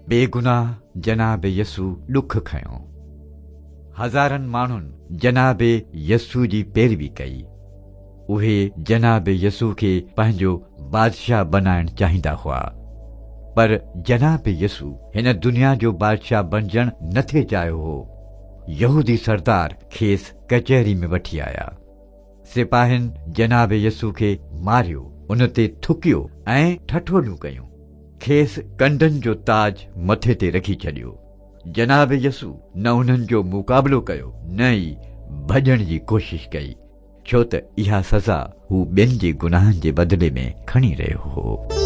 بيگناهه جناب يسوع ڏک کنيو. هزارن ماڻهن جناب يسوع جي پيروي ڪئي. اهي جناب يسوع کي پنهنجو بادشاهه بنائڻ چاهيندا هئا. پر جناب يسوع هن دنيا جو بادشاهه بنجڻ نه ٿي چاهيو هو. يهودي سردار کيس ڪچهري ۾ وٺي آيا. سپاهين جناب يسوع کي ماريو، ان تي ٿڪيو ۽ ٺٺوليون ڪيون. کيس ڪنڊن جو تاج مٿي تي رکي ڇڏيو. جناب يسوع نه انهن جو مقابلو ڪيو نه ئي ڀڄڻ جي ڪوشش ڪئي، ڇو ته اها سزا هو ٻين جي گناهن جي بدلي ۾ کڻي رهيو هو.